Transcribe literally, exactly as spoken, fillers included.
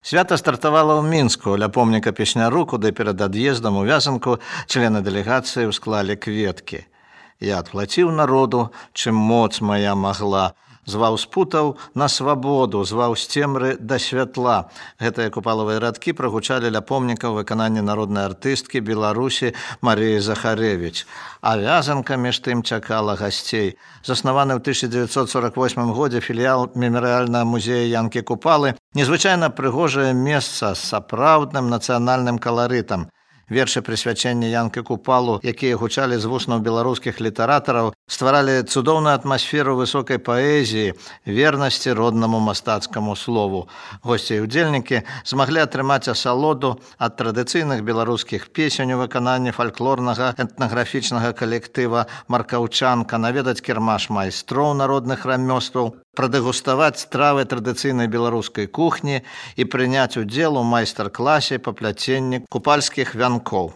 Свята стартавала ў Мінску ля помніка песняру, куды перад ад'ездам у вязанку члены дэлегацыі ўсклалі кветкі. Я адплаціў народу, чым моц моя магла, зваў з путаў на свабоду, зваў з цемры да святла. Гэтыя купалавыя радкі прагучалі ля помніка ў выкананні народнай артысткі Беларусі Марыі Захарэвіч. А вязанка між тым чакала гасцей. Заснаваны ў тысяча дзевяцьсот сорок восьмым годзе філіял мемарыяльнага музея Янкі Купалы, незвычайна прыгожае месца з сапраўдным нацыянальным каларытам. Вершы прысвячэння Янкі Купалу, якія гучалі з вуснаў беларускіх літаратараў, стваралі цудоўную атмасферу высокай паэзіі, вернасці роднаму мастацкаму слову. Госці і удзельнікі змаглі атрымаць асалоду ад традыцыйных беларускіх песень у выкананні фальклорнага этнаграфічнага калектыва «Маркаўчанка», наведаць кірмаш майстроў народных рамёстваў, прадэгуставаць стравы традыцыйнай беларускай кухні і прыняць удзел у майстар-класе па пляценні купальскіх вянкоў.